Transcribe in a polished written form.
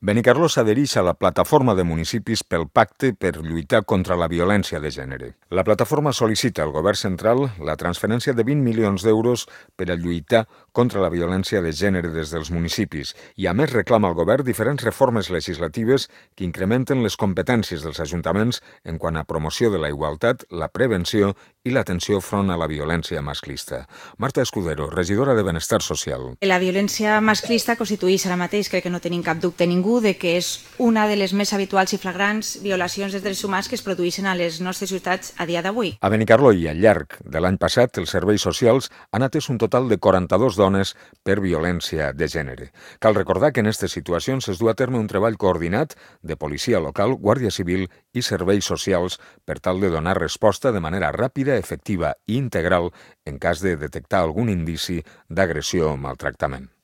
Benicarló s'adhereix a la Plataforma de Municipis pel Pacte per lluitar contra la violència de gènere. La plataforma sol·licita al govern central la transferència de 20 milions d'euros per a lluitar contra la violència de gènere des dels municipis i, a més, reclama al govern diferents reformes legislatives que incrementen les competències dels ajuntaments en quant a promoció de la igualtat, la prevenció i l'atenció front a la violència masclista. Marta Escudero, regidora de Benestar Social. La violència masclista constitueix ara mateix, crec que no tenim cap dubte ningú, de que és una de les més habituals i flagrants violacions dels drets humans que es produeixen a les nostres ciutats a dia d'avui. A Benicarló i al llarg de l'any passat, els serveis socials han atès un total de 42 dones per violència de gènere. Cal recordar que en aquestes situacions es du a terme un treball coordinat de policia local, Guàrdia Civil i serveis socials per tal de donar resposta de manera ràpida, efectiva i integral en cas de detectar algun indici d'agressió o maltractament.